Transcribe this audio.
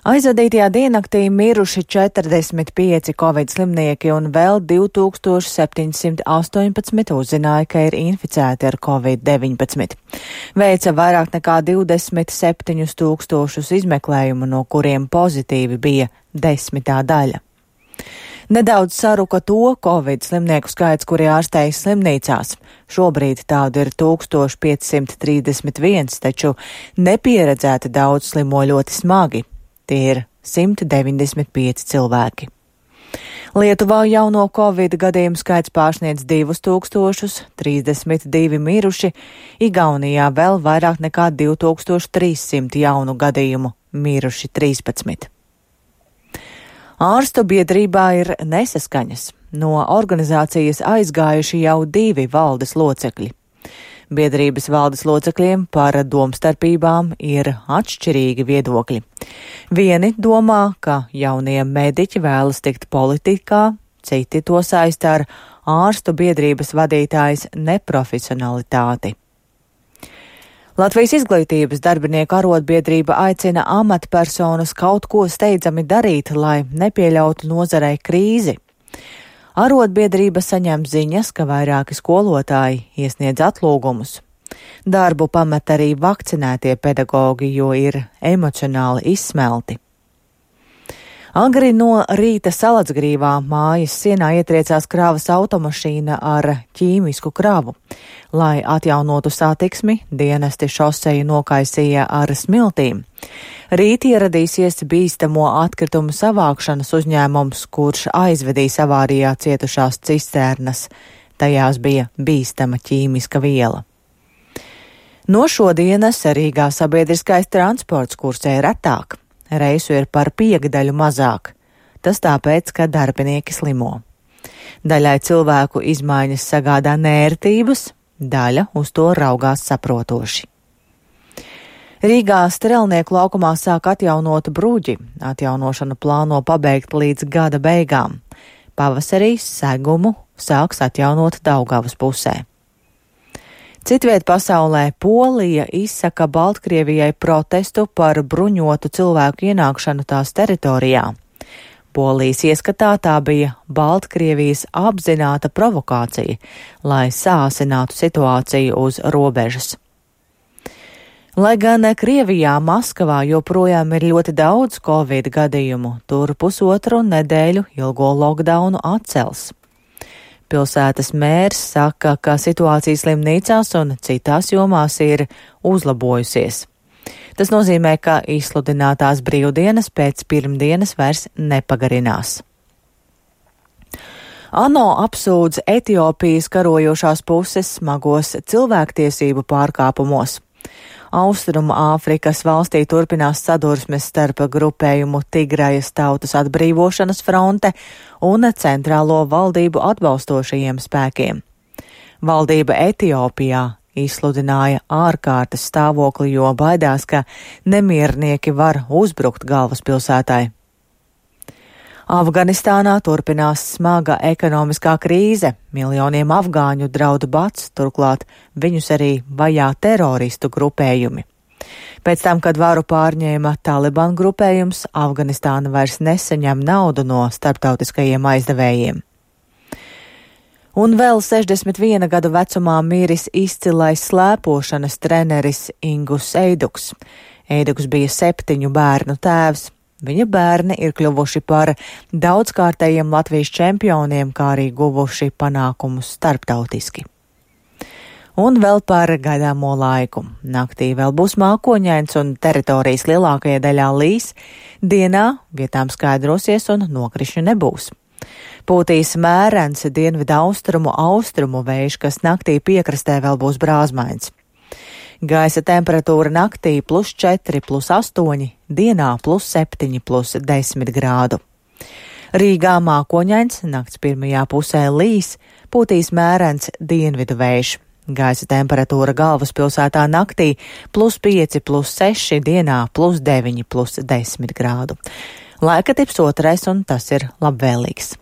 Aizvadītajā diennaktī miruši 45 covid slimnieki un vēl 2718 uzzināja, ka ir inficēti ar covid-19. Veica vairāk nekā 27 tūkstošus izmeklējumu, no kuriem pozitīvi bija 10%. Nedaudz saruka to covid slimnieku skaits, kuri ārstējas slimnīcās. Šobrīd tādu ir 1531, taču nepieredzēti daudz slimo ļoti smagi. Tie ir 195 cilvēki. Lietuvā jauno covid gadījumu skaits pārsniedz 2000, 32 miruši, Igaunijā vēl vairāk nekā 2300 jaunu gadījumu, miruši 13. Ārstu biedrībā ir nesaskaņas. No organizācijas aizgājuši jau 2 valdes locekļi. Biedrības valdes locekļiem par domstarpībām ir atšķirīgi viedokļi. Vieni domā, ka jaunie mediķi vēlas tikt politikā, citi to saista ar ārstu biedrības vadītājas neprofesionalitāti. Latvijas izglītības darbinieku arotbiedrība aicina amatpersonas kaut ko steidzami darīt, lai nepieļautu nozarei krīzi. Arotbiedrība saņem ziņas, ka vairāki skolotāji iesniedz atlūgumus. Darbu pamet arī vakcinētie pedagogi, jo ir emocionāli izsmelti. Agri no rīta Salacgrīvā mājas sienā ietriecās kravas automašīna ar ķīmisku kravu. Lai atjaunotu satiksmi, dienesti šoseju nokaisīja ar smiltīm. Rīt ieradīsies bīstamo atkritumu savākšanas uzņēmums, kurš aizvedīs avārijā cietušās cisternas. Tajās bija bīstama ķīmiska viela. No šodienas Rīgā sabiedriskais transports kursē retāk. Reisu ir par 5 mazāk. Tas tāpēc, ka darbinieki slimo. Daļai cilvēku izmaiņas sagādā nērtības, daļa uz to raugās saprotoši. Rīgā Strelnieku laukumā sāk atjaunot bruģi. Atjaunošanu plāno pabeigt līdz gada beigām. Pavasarī segumu sāks atjaunot Daugavas pusē. Citviet pasaulē Polija izsaka Baltkrievijai protestu par bruņotu cilvēku ienākšanu tās teritorijā. Polijas ieskatā tā bija Baltkrievijas apzināta provokācija, lai sāsinātu situāciju uz robežas. Lai gan Krievijā, Maskavā joprojām ir ļoti daudz covid gadījumu, tur 1,5 nedēļu ilgo lockdownu atcels. Pilsētas mērs saka, ka situācija slimnīcās un citās jomās ir uzlabojusies. Tas nozīmē, ka izsludinātās brīvdienas pēc pirmdienas vairs nepagarinās. ANO apsūdz Etiopijas karojošās puses smagos cilvēktiesību pārkāpumos. Austrumu Āfrikas valstī turpinās sadursmes starp grupējumu Tigrajas tautas atbrīvošanas fronte un centrālo valdību atbalstošajiem spēkiem. Valdība Etiopijā izsludināja ārkārtas stāvokli, jo baidās, ka nemiernieki var uzbrukt galvaspilsētai. Afganistānā turpinās smaga ekonomiskā krīze, miljoniem afgāņu draud bats, turklāt viņus arī vajā teroristu grupējumi. Pēc tam, kad varu pārņēma Taliban grupējums, Afganistāna vairs nesaņem naudu no starptautiskajiem aizdevējiem. Un vēl 61 gadu vecumā miris izcilais slēpošanas treneris Ingus Eiduks. Eiduks bija 7 bērnu tēvs. Viņa bērni ir kļuvuši par daudzkārtējiem Latvijas čempioniem, kā arī guvuši panākumus starptautiski. Un vēl par gaidāmo laiku. Naktī vēl būs mākoņains un teritorijas lielākajā daļā līs. Dienā vietām skaidrosies un nokrišņu nebūs. Pūtīs mērens dienvidu austrumu vējš, kas naktī piekrastē vēl būs brāzmains. Gaisa temperatūra naktī +4, +8, dienā +7, +10 grādu. Rīgā mākoņains, nakts pirmajā pusē līs, pūtīs mērens dienvidu vējš. Gaisa temperatūra galvaspilsētā naktī +5, +6, dienā +9, +10 grādu. Laika tips 2, un tas ir labvēlīgs.